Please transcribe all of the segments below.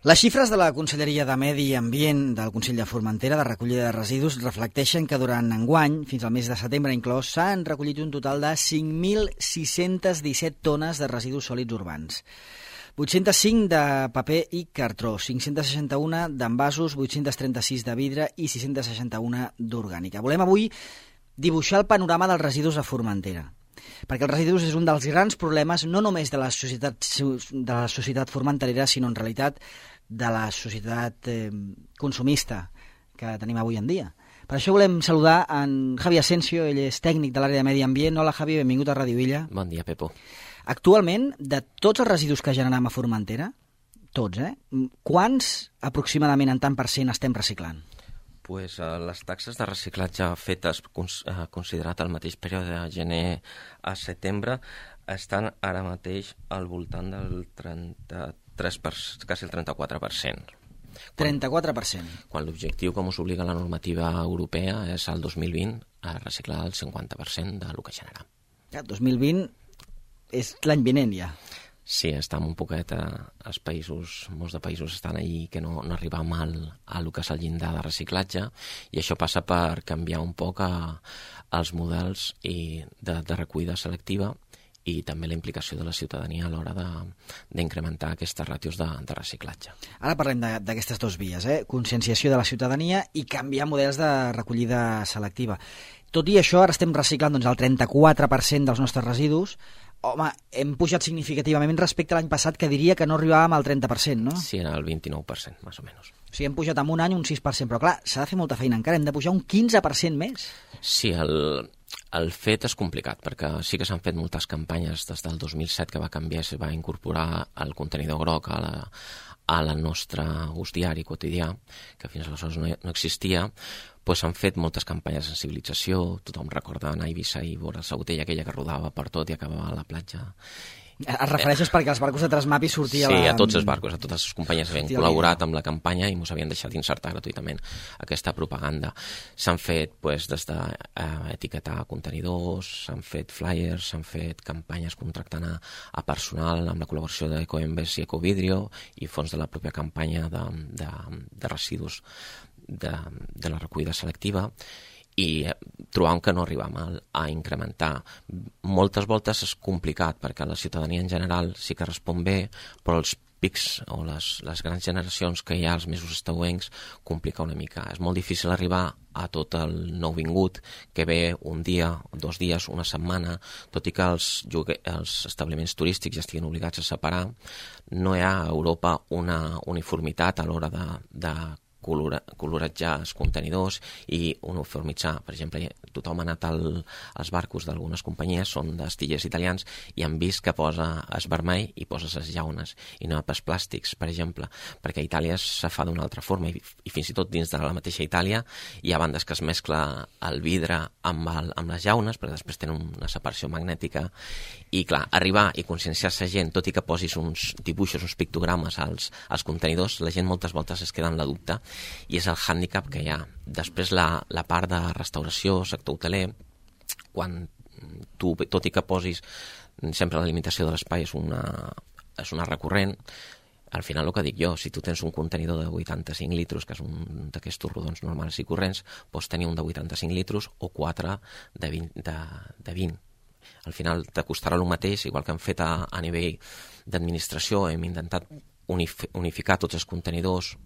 Les xifres de la Conselleria de Medi Ambient del Consell de Formentera de recollida de residus reflecteixen que durant enguany, fins al mes de setembre inclòs, s'han recollit un total de 5.617 tones de residus sòlids urbans. 805 de paper i cartró, 561 d'envasos, 836 de vidre i 661 d'orgànica. Volem avui dibuixar el panorama dels residus a Formentera, perquè els residus és un dels grans problemes no només de la societat formenterera, sinó en realitat de la societat consumista que tenim avui en dia. Per això volem saludar en Javi Asensio, ell és tècnic de l'àrea de Medi Ambient. Hola Javi, benvingut a Ràdio Illa. Bon dia, Pepo. Actualment, de tots els residus que generem a Formentera, tots, quants aproximadament en tant per cent estem reciclant? Pues, les taxes de reciclatge fetes considerat el mateix període de gener a setembre estan ara mateix al voltant del 33%, quasi el 34%. 34%. Quan l'objectiu, com us obliga la normativa europea, és el 2020 a reciclar el 50% del que generem. Ja, 2020 és l'any vinent ja. Sí, estem un poquet als països, molts de països estan ahí que no arribem a lo que és el llindar de reciclatge, i això passa per canviar un poc els models de recollida selectiva i també la implicació de la ciutadania a l'hora d'incrementar aquestes ràtios de reciclatge. Ara parlem d'aquestes dues vies, conscienciació de la ciutadania i canviar models de recollida selectiva. Tot i això, ara estem reciclant el 34% dels nostres residus. Home, hem pujat significativament respecte a l'any passat, que diria que no arribàvem al 30%, no? Sí, era el 29%, més o menys. O sigui, hem pujat en un any un 6%, però clar, s'ha de fer molta feina encara, hem de pujar un 15% més. Sí, el fet és complicat, perquè sí que s'han fet moltes campanyes des del 2007 que va canviar, se va incorporar el contenidor groc a la nostra ús diari quotidià, que fins aleshores no existia. Pues s'han fet moltes campanyes de sensibilització, tothom recorda anar a Eivissa i veure la botella aquella que rodava per tot i acabava a la platja. Es refereixes perquè els barcos de Transmapi sortia... Sí, a tots els barcos, a totes les companyies havien col·laborat amb la campanya i ens havien deixat insertar gratuïtament aquesta propaganda. S'han fet des d'etiquetar contenidors, s'han fet flyers, s'han fet campanyes contractant a personal amb la col·laboració d'Ecoembes i Ecovidrio i fons de la pròpia campanya de residus de la recollida selectiva, i trobam que no arribam a incrementar. Moltes voltes és complicat perquè la ciutadania en general sí que respon bé, però els pics o les grans generacions que hi ha els mesos estaüencs complica una mica. És molt difícil arribar a tot el nouvingut que ve un dia, 2 dies, una setmana, tot i que els establiments turístics ja estiguin obligats a separar. No hi ha a Europa una uniformitat a l'hora de coloratjar els contenidors i uniformitzar. Per exemple, tothom ha anat als barcos d'algunes companyies, són d'astillers italians, i han vist que posa es vermell i poses les llaunes, i no pas plàstics, per exemple, perquè a Itàlia se fa d'una altra forma, i fins i tot dins de la mateixa Itàlia hi ha bandes que es mescla el vidre amb les llaunes, perquè després tenen una separació magnètica, i clar, arribar i conscienciar-se gent, tot i que posis uns dibuixos, uns pictogrames als contenidors, la gent moltes voltes es queda en la dubte, i és el hàndicap que hi ha. Després la part de restauració, sector hoteler, quan tu, tot i que posis sempre la limitació de l'espai és una recurrent, al final el que dic jo, si tu tens un contenidor de 85 litres, que és un d'aquests rodons normals i corrents, pots tenir un de 85 litres o 4 de 20. Al final t'acostarà el mateix, igual que hem fet a nivell d'administració, hem intentat unificar tots els contenidors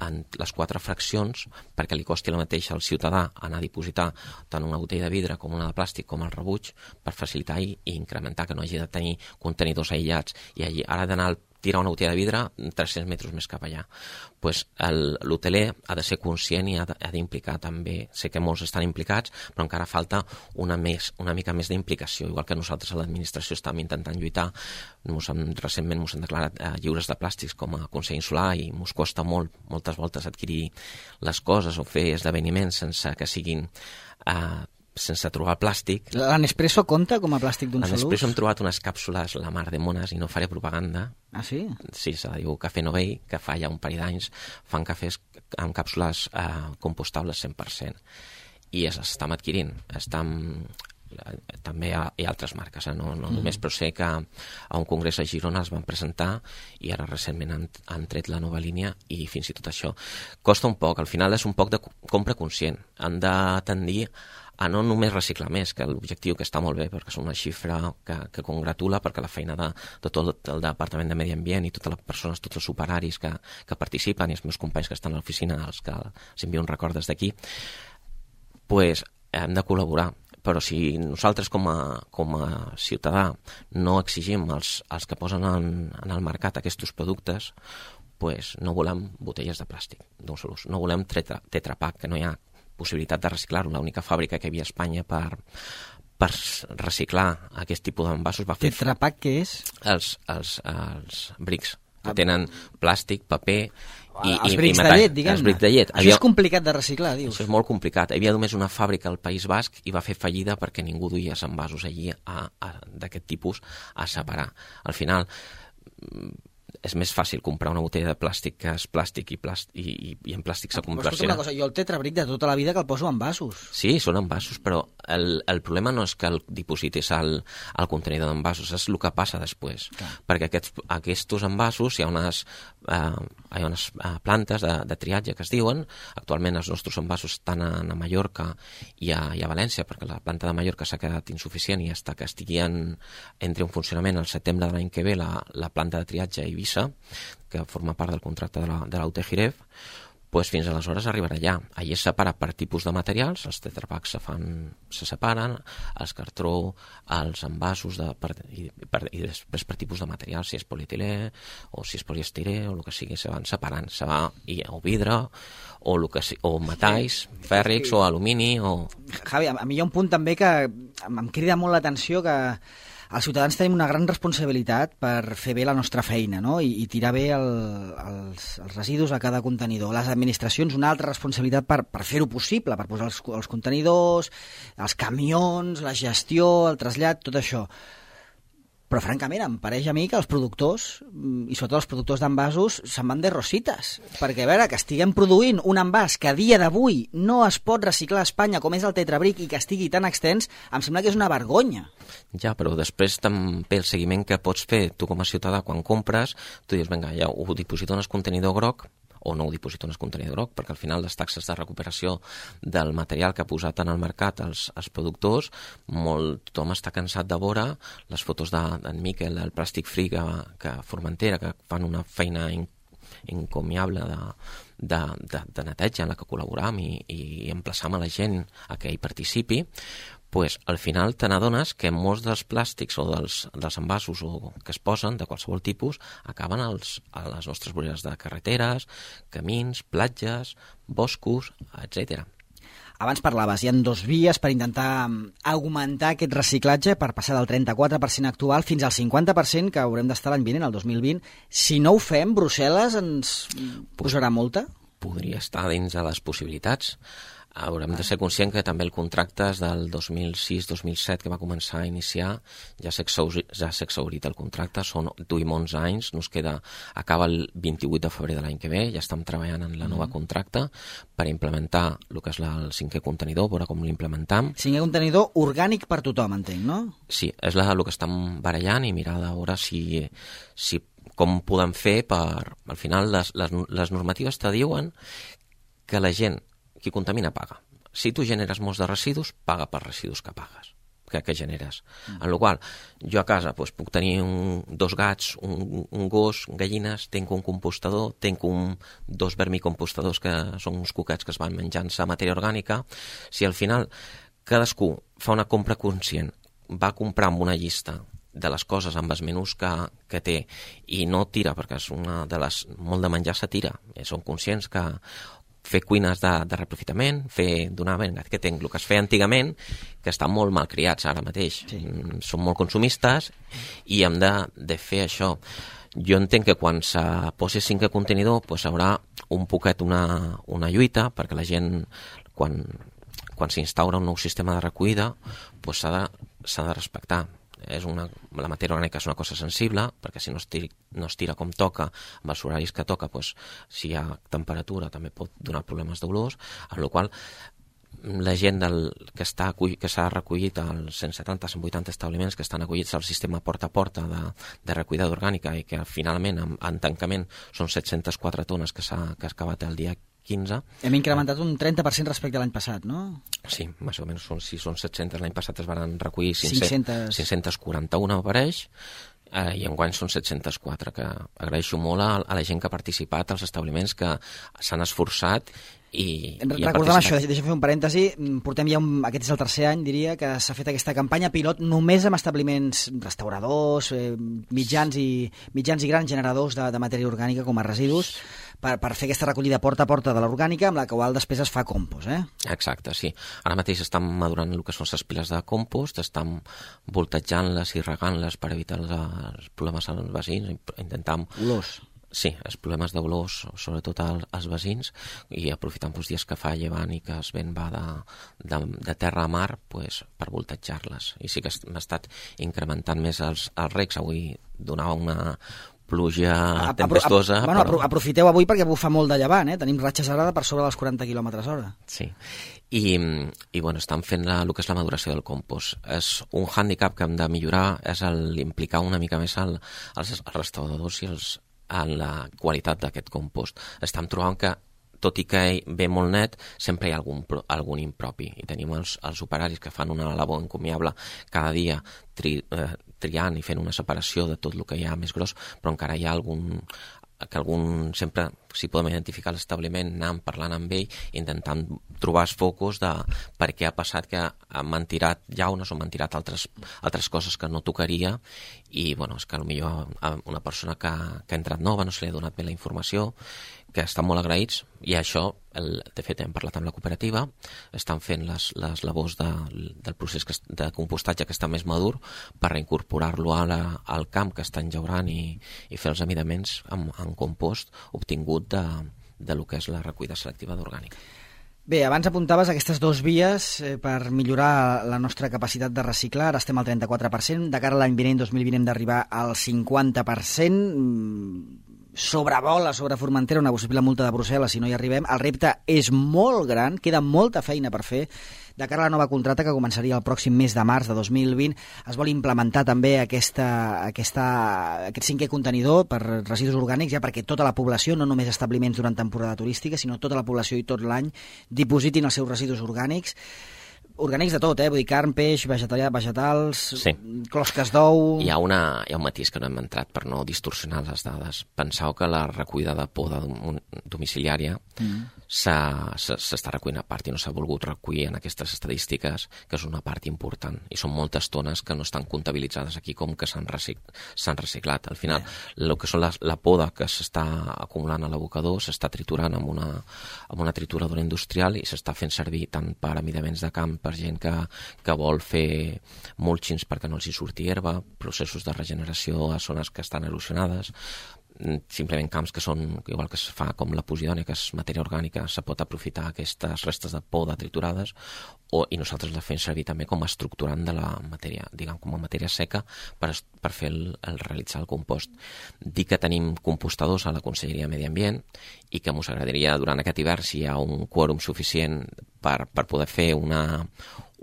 en les 4 fraccions perquè li costi el mateix al ciutadà anar a dipositar tant una botella de vidre com una de plàstic com el rebuig, per facilitar i incrementar que no hagi de tenir contenidors aïllats i ara ha d'anar a tirar una botella de vidre 300 metres més cap allà. Pues l'hoteler ha de ser conscient i ha d'implicar també. Sé que molts estan implicats, però encara falta una mica més d'implicació, igual que nosaltres a l'administració estàvem intentant lluitar. Recentment ens han declarat lliures de plàstics com a Consell Insular i ens costa moltes voltes adquirir les coses o fer esdeveniments sense que siguin sense trobar plàstic. L'Nespresso compta com a plàstic d'un sol ús? L'Nespresso hem trobat unes càpsules la mar de mones i no faré propaganda. Ah, sí? Sí, se la diu Cafè Novell, que fa ja un parell d'anys fan cafès amb càpsules compostables 100%. I estem adquirint. també hi ha altres marques, no només, però sé que a un congrés a Girona els van presentar i ara recentment han tret la nova línia i fins i tot això costa un poc, al final és un poc de compra conscient, han de tendir a no només reciclar més, que l'objectiu que està molt bé, perquè és una xifra que congratula, perquè la feina de tot el Departament de Medi Ambient i totes les persones, tots els operaris que participen i els meus companys que estan a l'oficina, els que els envio un record des d'aquí, pues hem de col·laborar. Però si nosaltres com a ciutadà no exigim als que posen en el mercat aquests productes, pues no volem botelles de plàstic d'un sol ús, no volem Tetra Pak, que no hi ha possibilitat de reciclar-ho. L'única fàbrica que hi havia a Espanya per reciclar aquest tipus d'envasos va fer... Tetra Pak què és? Els brics, que tenen plàstic, paper els brics de llet, diguem-ne. Els brics de llet. Això és complicat de reciclar, dius. Això és molt complicat. Hi havia només una fàbrica al País Basc i va fer fallida perquè ningú duia els envasos allí d'aquest tipus a separar. Al final és més fàcil comprar una botella de plàstic que és plàstic i en plàstic s'ha convertit. Escolta una cosa, jo el tetrabric de tota la vida que el poso en vasos. Sí, són envasos, però el problema no és que el dipositis al contenidor d'envasos, és el que passa després. Clar. Perquè aquests envasos hi ha unes plantes de triatge que es diuen. Actualment els nostres envasos estan a Mallorca i a València, perquè la planta de Mallorca s'ha quedat insuficient i hasta que entri en funcionament el setembre de l'any que ve la planta de triatge a Eivissa, que forma part del contracte de la UT Jiref, pues fins aleshores arribarà allà. Allí es separa per tipus de materials, els tetrapacks se separen, els cartró, els envasos i després per tipus de material, si és polietilè o si és poliestirè o el que sigui, se van separant, o vidre o metalls, fèrrics o alumini o... Javi, a mi hi ha un punt també que em crida molt l'atenció, que els ciutadans tenim una gran responsabilitat per fer bé la nostra feina, no? I tirar bé els residus a cada contenidor. Les administracions una altra responsabilitat per fer-ho possible, per posar els contenidors, els camions, la gestió, el trasllat, tot això. Però, francament, em pareix a mi que els productors, i sobretot els productors d'envasos, se'n van de rosites. Perquè, a veure, que estiguem produint un envàs que a dia d'avui no es pot reciclar a Espanya, com és el tetrabric, i que estigui tan extens, em sembla que és una vergonya. Ja, però després també el seguiment que pots fer tu com a ciutadà quan compres, tu dius, vinga, ja ho diposito en el contenidor groc, o no ho diposito en el contenidor groc, perquè al final les taxes de recuperació del material que ha posat en el mercat els productors, tothom està cansat de veure les fotos d'en Miquel, del Plàstic Free, que Formentera, que fan una feina encomiable de neteja en la que col·laboram i emplaçam a la gent a que hi participi, pues, al final te n'adones que molts dels plàstics o dels envasos que es posen, de qualsevol tipus, acaben a les nostres voreres de carreteres, camins, platges, boscos, etc. Abans parlaves, hi ha 2 vies per intentar augmentar aquest reciclatge per passar del 34% actual fins al 50% que haurem d'estar l'any vinent, el 2020. Si no ho fem, Brussel·les ens posarà multa? Podria estar dins de les possibilitats. Haurem de ser conscients que també el contracte és del 2006-2007 que va començar a iniciar, ja s'ha exhaurit el contracte, duim 11 anys, acaba el 28 de febrer de l'any que ve, ja estem treballant en la nova contracte per implementar el que és el 5è contenidor, veure com l'implementam. 5è contenidor orgànic per tothom, entenc, no? Sí, és el que estem barallant i mirar de veure com podem fer per... Al final, les normatives te diuen que la gent qui contamina paga. Si tu generes molts de residus, paga per residus que pagues, que generes. En la qual jo a casa puc tenir 2 gats, un gos, gallines, tinc un compostador, tinc 2 vermicompostadors que són uns cuquets que es van menjant-se matèria orgànica. Si al final cadascú fa una compra conscient, va comprar amb una llista de les coses amb els menús que té i no tira, perquè és molt de menjar se tira, són conscients que fer cuines de reprofitament, que tenc el que es feia antigament, que estan molt mal criats ara mateix. Sí. Són molt consumistes i hem de fer això. Jo entenc que quan se posi 5è contenidor pues haurà un poquet una lluita, perquè la gent, quan s'instaura un nou sistema de recollida, pues s'ha de respectar. La matèria orgànica és una cosa sensible, perquè si no es tira com toca, amb els horaris que toca, si hi ha temperatura també pot donar problemes d'olors, amb la qual la gent que s'ha recollit als 170-180 establiments que estan acollits al sistema porta a porta de recollida orgànica i que finalment en tancament són 704 tones que s'ha acabat el dia 15. Hem incrementat un 30% respecte a l'any passat, no? Sí, més o menys si són 700, l'any passat es van recollir 541, m'apareix, i enguany són 704, que agraeixo molt a la gent que ha participat, als establiments que s'han esforçat i recordem això, deixa'm fer un parèntesi, portem ja aquest és el tercer any, diria, que s'ha fet aquesta campanya pilot només amb establiments restauradors, mitjans i grans generadors de matèria orgànica com a residus, per fer aquesta recollida porta a porta de l'orgànica, amb la qual després es fa compost, Exacte, sí. Ara mateix estan madurant el que són les piles de compost, estan voltatjant-les i regant-les per evitar els problemes als veïns, intentant... Olors. Sí, els problemes d'olors, sobretot als veïns, i aprofitant dies que fa llevant i que el vent va de terra a mar per voltatjar-les. I sí que hem estat incrementant més els recs. Avui donava una pluja tempestuosa. Aprofiteu avui perquè bufa molt de llevant, tenim ratxes ara per sobre dels 40 km/h. Sí, i estan fent el que és la maduració del compost. És un hàndicap que hem de millorar, és implicar una mica més els restauradors i en la qualitat d'aquest compost. Estem trobant que, tot i que ve molt net, sempre hi ha algun impropi. I tenim els operaris que fan una labor encomiable cada dia triant i fent una separació de tot el que hi ha més gros, però encara hi ha algun sempre, si podem identificar l'establiment, anant parlant amb ell, intentant trobar els focus de per què ha passat que m'han tirat llaunes o m'han tirat altres coses que no tocaria, i és que potser a una persona que ha entrat nova no se li ha donat bé la informació, que estan molt agraïts, i això, de fet, hem parlat amb la cooperativa, estan fent les labors del procés de compostatge que està més madur per reincorporar-lo al camp que estan llaurant i fer els amidaments en compost obtingut de lo que és la recollida selectiva d'orgànica. Bé, abans apuntaves aquestes dues vies per millorar la nostra capacitat de reciclar. Ara estem al 34%, de cara a l'any vinent, 2020, hem d'arribar al 50%. Sobrevola sobre Formentera una possible multa de Brussel·les si no hi arribem. El repte és molt gran, queda molta feina per fer. De cara a la nova contracta que començaria el pròxim mes de març de 2020, es vol implementar també aquest 5è contenidor per residus orgànics, ja perquè tota la població, no només establiments durant temporada turística, sinó tota la població i tot l'any, dipositin els seus residus orgànics. Orgànics de tot, vull dir, carn, peix, vegetals, sí. Closques d'ou... Hi ha un matís que no hem entrat per no distorsionar les dades. Penseu que la recollida de poda domiciliària s'està recollint a part i no s'ha volgut recollir en aquestes estadístiques, que és una part important. I són moltes tones que no estan comptabilitzades aquí com que s'han reciclat. Al final, el que són la poda que s'està acumulant a l'abocador s'està triturant amb una trituradora industrial i s'està fent servir tant per amidaments de camp, per gent que vol fer mulchings perquè no els hi surti herba, processos de regeneració a zones que estan erosionades, simplement camps que són, igual que es fa com la posidònia, que és matèria orgànica, se pot aprofitar aquestes restes de poda triturades i nosaltres les fem servir també com a estructurant de la matèria, diguem, com a matèria seca per fer realitzar el compost. Dir que tenim compostadors a la Conselleria de Medi Ambient i que ens agradaria durant aquest hivern, si hi ha un quòrum suficient per poder fer un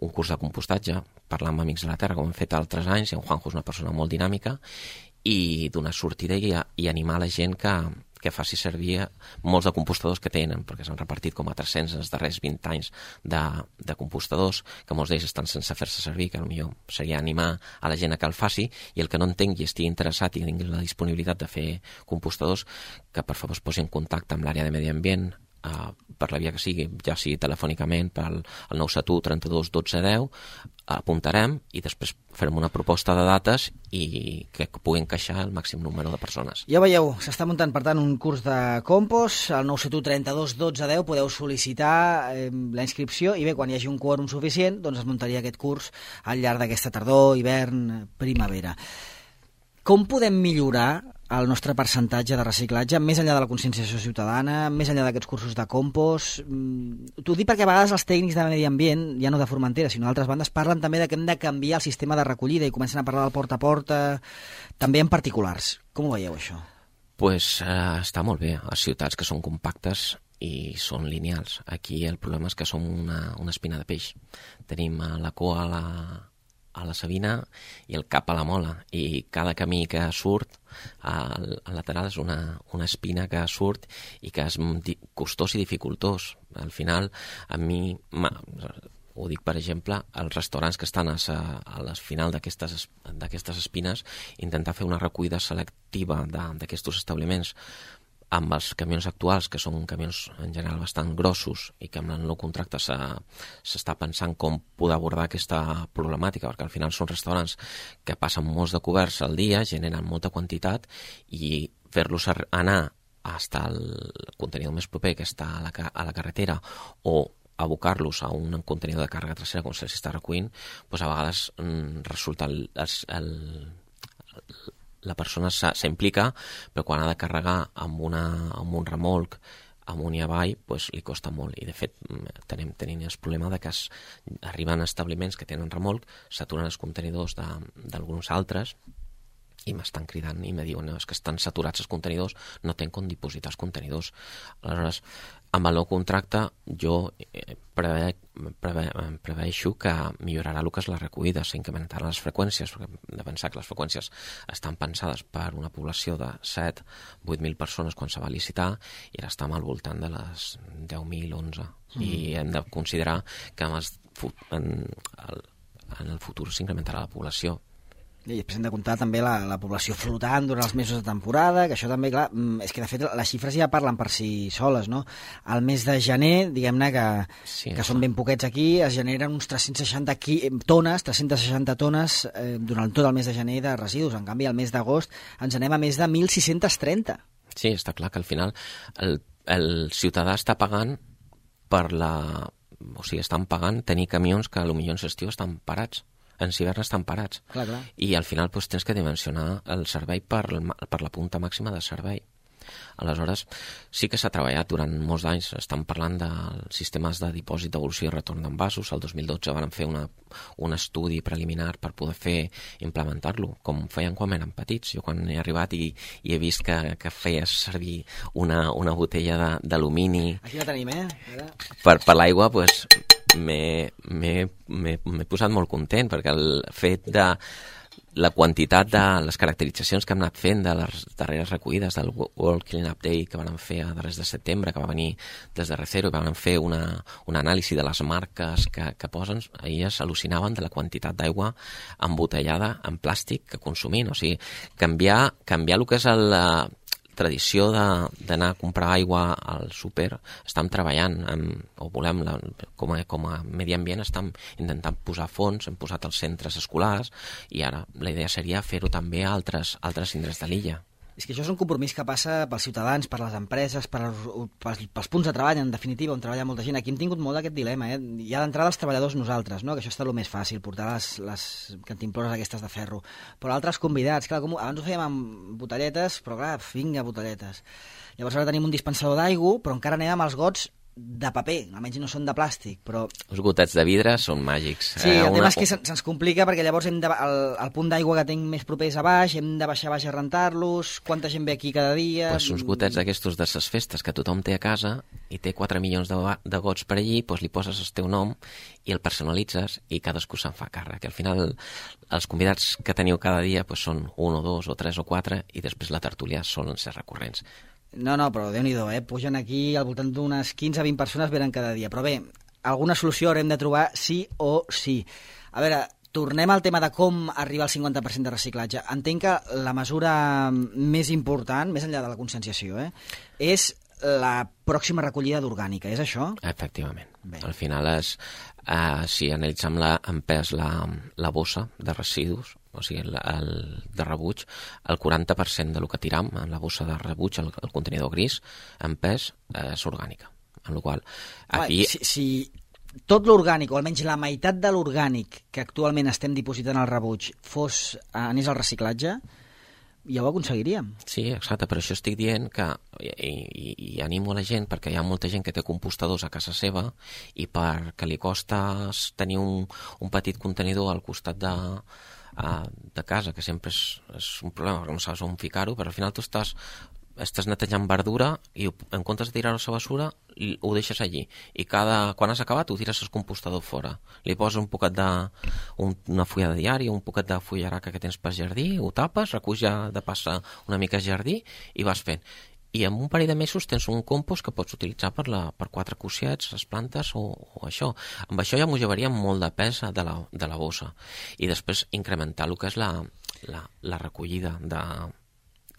curs de compostatge, parlar amb Amics de la Terra, com hem fet altres anys, i en Juanjo és una persona molt dinàmica, i donar sortida i animar la gent que faci servir molts de compostadors que tenen, perquè s'han repartit com a 300 els darrers 20 anys de compostadors, que molts d'ells estan sense fer-se servir, que potser seria animar a la gent a que el faci, i el que no entengui i estigui interessat i tingui la disponibilitat de fer compostadors, que per favor es posi en contacte amb l'àrea de Medi Ambient, per la via que sigui, ja sigui telefònicament pel 971 32 12 10, apuntarem i després farem una proposta de dates i que pugui encaixar el màxim número de persones. Ja veieu, s'està muntant per tant un curs de compost, al 971 32 12 10 podeu sol·licitar la inscripció i bé, quan hi hagi un quòrum suficient, doncs es muntaria aquest curs al llarg d'aquesta tardor, hivern, primavera. Com podem millorar el nostre percentatge de reciclatge, més enllà de la conscienciació ciutadana, més enllà d'aquests cursos de compost? T'ho dic perquè a vegades els tècnics de Medi Ambient, ja no de Formentera, sinó d'altres bandes, parlen també que hem de canviar el sistema de recollida i comencen a parlar del porta a porta, també en particulars. Com ho veieu, això? Doncs està molt bé. A ciutats que són compactes i són lineals. Aquí el problema és que som una espina de peix. Tenim la cua a la sabina i el cap a la mola, i cada camí que surt al lateral és una espina que surt i que és costós i dificultós. Al final, a mi... Ho dic, per exemple, als restaurants que estan a la final d'aquestes espines, intentar fer una recollida selectiva d'aquests establiments amb els camions actuals, que són camions en general bastant grossos i que amb el nou contracte s'està pensant com poder abordar aquesta problemàtica, perquè al final són restaurants que passen molts de coberts al dia, generen molta quantitat, i fer-los anar fins al contenidor més proper, que està a la carretera, o abocar-los a un contenidor de càrrega trasera, com se'ls està recollint, doncs a vegades resulta la persona s'implica, però quan ha de carregar amb un remolc amunt i avall, doncs li costa molt. I de fet tenim el problema de que arriben a establiments que tenen remolc, s'aturen els contenidors d'alguns altres i m'estan cridant i me diuen que estan saturats els contenidors, no tenen com dipositar els contenidors. Aleshores, amb el nou contracte jo preveixo que millorarà el que és la recollida, s'incrementaran les freqüències, perquè hem de pensar que les freqüències estan pensades per una població de 7-8.000 persones quan se va licitar, i ara estem al voltant de les 10.000, 11. I hem de considerar que en el futur s'incrementarà la població. I després hem de comptar també la població flotant durant els mesos de temporada, que això també, clar, és que de fet les xifres ja parlen per si soles, no? Al mes de gener, diguem-ne que són ben poquets aquí, es generen uns 360 tones durant tot el mes de gener de residus. En canvi, al mes d'agost ens anem a més de 1.630. Sí, està clar que al final el ciutadà està pagant estan pagant tenir camions que potser en l'estiu estan parats. En hivern estan parats. Clar. I al final tens que dimensionar el servei per la punta màxima de servei. Aleshores, sí que s'ha treballat durant molts anys. Estan parlant dels sistemes de dipòsit, devolució i retorn d'envasos. El 2012 van fer un estudi preliminar per poder implementar-lo, com feien quan eren petits. Jo quan he arribat i he vist que feies servir una botella d'alumini... Aquí la tenim, per l'aigua, doncs... m'he posat molt content, perquè el fet de la quantitat de les caracteritzacions que hem anat fent de les darreres recollides del World Cleanup Day que van fer a darrers de setembre, que va venir des de Recero, i van fer una anàlisi de les marques que posen, elles al·lucinaven de la quantitat d'aigua embotellada en plàstic que consumint. O sigui, canviar el que és la tradició d'anar a comprar aigua al súper. Estem treballant com a medi ambient, estem intentant posar fons, hem posat els centres escolars, i ara la idea seria fer-ho també a altres indrets de l'illa. És que això és un compromís que passa pels ciutadans, per les empreses, pels punts de treball, en definitiva, on treballa molta gent. Aquí hem tingut molt d'aquest dilema. Ja d'entrada els treballadors nosaltres, no? Que això està el més fàcil, portar les cantimplores aquestes de ferro. Però altres convidats, clar, abans ho fèiem amb botelletes, però clar, vinga, botelletes. Llavors ara tenim un dispensador d'aigua, però encara anem amb els gots de paper, almenys no són de plàstic, però... Els gotets de vidre són màgics. Sí, el tema és que se'ns complica, perquè llavors el punt d'aigua que tinc més propers a baix, hem de baixar a baix a rentar-los, quanta gent ve aquí cada dia... Pues uns gotets d'aquestos de ses festes que tothom té a casa i té 4 milions de gots per allí, pues li poses el teu nom i el personalitzes i cadascú se'n fa càrrec. Al final els convidats que teniu cada dia pues són 1 o 2 o 3 o 4 i després la tertúlia solen ser recurrents. No, però Déu-n'hi-do, pugen aquí al voltant d'unes 15 a 20 persones venen cada dia. Però bé, alguna solució haurem de trobar sí o sí. A veure, tornem al tema de com arribar al 50% de reciclatge. Entenc que la mesura més important, més enllà de la conscienciació, és la pròxima recollida d'orgànica, és això? Efectivament. Bé. Al final és, si analitzem en pes la bossa de residus, o sigui, de rebuig, el 40% del que tiram en la bossa de rebuig, el contenidor gris, en pes, és orgànica. En la qual aquí... Si tot l'orgànic, o almenys la meitat de l'orgànic que actualment estem dipositant al rebuig anés al reciclatge, ja ho aconseguiríem. Sí, exacte, per això estic dient que i animo a la gent, perquè hi ha molta gent que té compostadors a casa seva i perquè li costa tenir un petit contenidor al costat de casa, que sempre és un problema perquè no saps on ficar-ho, però al final tu estàs estàs netejant verdura i en comptes de tirar-ho a la bessura ho deixes allí i quan has acabat ho tires al compostador fora, li poses un poquet una fulla de diari, un poquet de fullaraca que tens per jardí, ho tapes, reculls ja de passar una mica a jardí i vas fent. I en un parell de mesos tens un compost que pots utilitzar per 4 cuixets, les plantes o això. Amb això ja m'ho llevaria molt de pes de la bossa. I després incrementar el que és la recollida,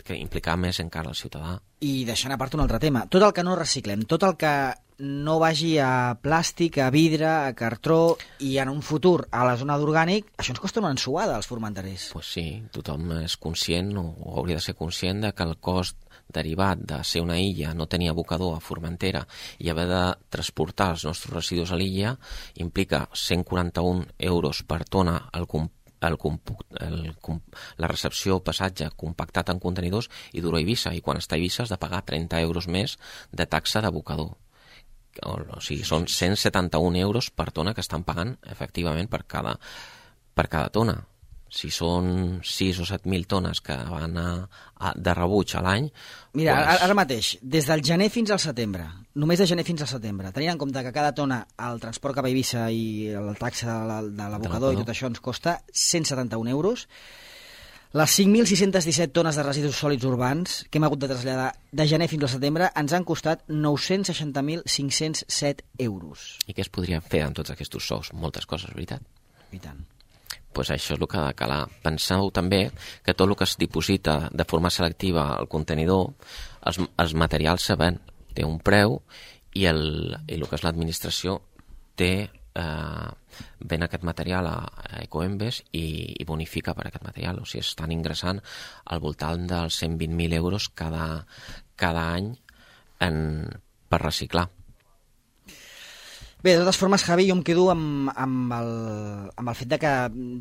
que implicar més encara el ciutadà. I deixant a part un altre tema, tot el que no reciclem, tot el que no vagi a plàstic, a vidre, a cartró i en un futur a la zona d'orgànic, això ens costa una ensuada als formenterers. Pues sí, tothom és conscient o hauria de ser conscient de que el cost derivat de ser una illa, no tenir abocador a Formentera i haver de transportar els nostres residus a l'illa implica 141 euros per tona la recepció, passatge compactat en contenidors i dur a Eivissa, i quan està a Eivissa has de pagar 30 euros més de taxa d'abocador. O sigui, són 171 euros per tona que estan pagant efectivament per cada tona. Si són 6 o 7.000 tones que van de rebuig a l'any... Mira, ara mateix, des del gener fins al setembre, només de gener fins al setembre, tenint en compte que cada tona el transport cap a Eivissa i la taxa de l'abocador i tot això ens costa 171 euros, les 5.617 tones de residus sòlids urbans que hem hagut de traslladar de gener fins al setembre ens han costat 960.507 euros. I què es podria fer amb tots aquests sous? Moltes coses, veritat? I tant. Pues això és el que ha de calar. Penseu també que tot el que es diposita de forma selectiva al contenidor, els materials se ven, té un preu i el que és l'administració ven aquest material a Ecoembes i bonifica per aquest material. O sigui, estan ingressant al voltant dels 120.000 euros cada any per reciclar. Bé, de totes formes, Javi, jo em quedo amb el fet de que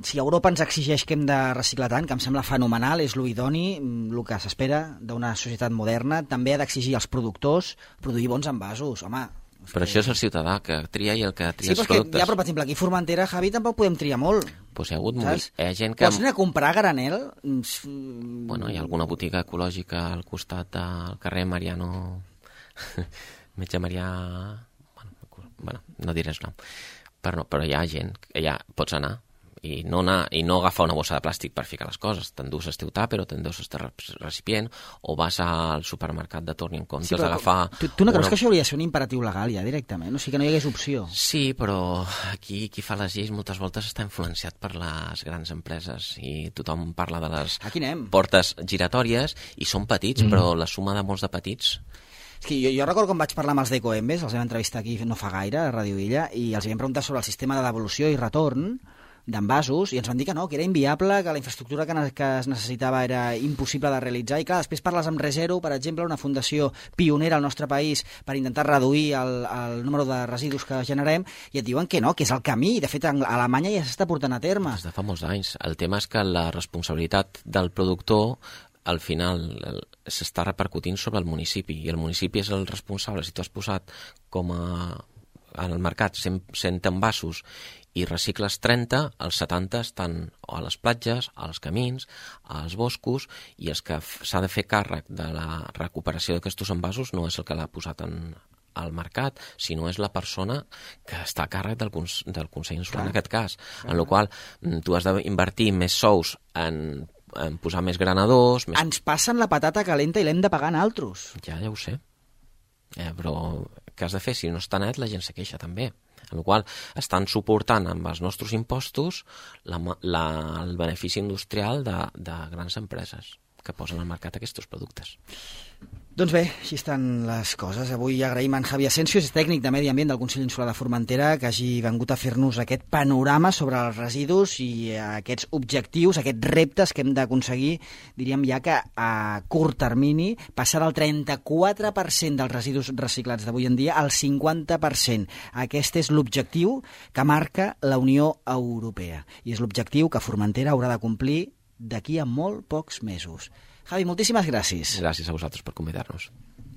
si Europa ens exigeix que hem de reciclar tant, que em sembla fenomenal, és l'idoni, el que s'espera d'una societat moderna, també ha d'exigir als productors produir bons envasos, home. Però això és el ciutadà que tria i el que tria els productes. Ja, però per exemple, aquí a Formentera, Javi, tampoc podem triar molt. Pues hi ha hagut gent que... Pots anar a comprar a granel? Bueno, hi ha alguna botiga ecològica al costat del carrer Mariano... Metge Marià... Bueno, no diré el nom, però hi ha gent que ja pots anar i no agafar una bossa de plàstic per ficar les coses, t'endús el teu tàper o t'endús el recipient o vas al supermercat de torn i en comptes d'agafar... Tu no creus que això hauria de ser un imperatiu legal ja directament? O sigui que no hi hagués opció? Sí, però aquí qui fa les lleis moltes voltes està influenciat per les grans empreses i tothom parla de les portes giratòries i són petits, però la suma de molts de petits... És que jo recordo quan vaig parlar amb els d'Ecoembes, els vam entrevistar aquí no fa gaire, a Ràdio Illa, i els vam preguntar sobre el sistema de devolució i retorn d'envasos, i ens van dir que no, que era inviable, que la infraestructura que es necessitava era impossible de realitzar, i clar, després parles amb ReZero, per exemple, una fundació pionera al nostre país per intentar reduir el número de residus que generem, i et diuen que no, que és el camí, i de fet a Alemanya ja s'està portant a terme. Des de fa molts anys. El tema és que la responsabilitat del productor al final s'està repercutint sobre el municipi i el municipi és el responsable. Si tu has posat al mercat 100 envasos i recicles 30, els 70 estan a les platges, als camins, als boscos, i els que s'ha de fer càrrec de la recuperació d'aquests envasos no és el que l'ha posat al mercat, sinó és la persona que està a càrrec del Consell Insular en aquest cas. En la qual tu has d'invertir més sous en posar més granadors... Ens passen la patata calenta i l'hem de pagar en altres. Ja ho sé. Però què has de fer? Si no està net, la gent se queixa també. En la qual estan suportant amb els nostres impostos el benefici industrial de grans empreses que posen al mercat aquests productes. Doncs bé, així estan les coses. Avui agraïm a en Javi Asensio, és tècnic de Medi Ambient del Consell Insular de Formentera, que hagi vengut a fer-nos aquest panorama sobre els residus i aquests objectius, aquests reptes que hem d'aconseguir, diríem ja que a curt termini, passar del 34% dels residus reciclats d'avui en dia al 50%. Aquest és l'objectiu que marca la Unió Europea i és l'objectiu que Formentera haurà de complir d'aquí a molt pocs mesos. Javi, moltíssimes gràcies. Gràcies a vosaltres per convidar-nos.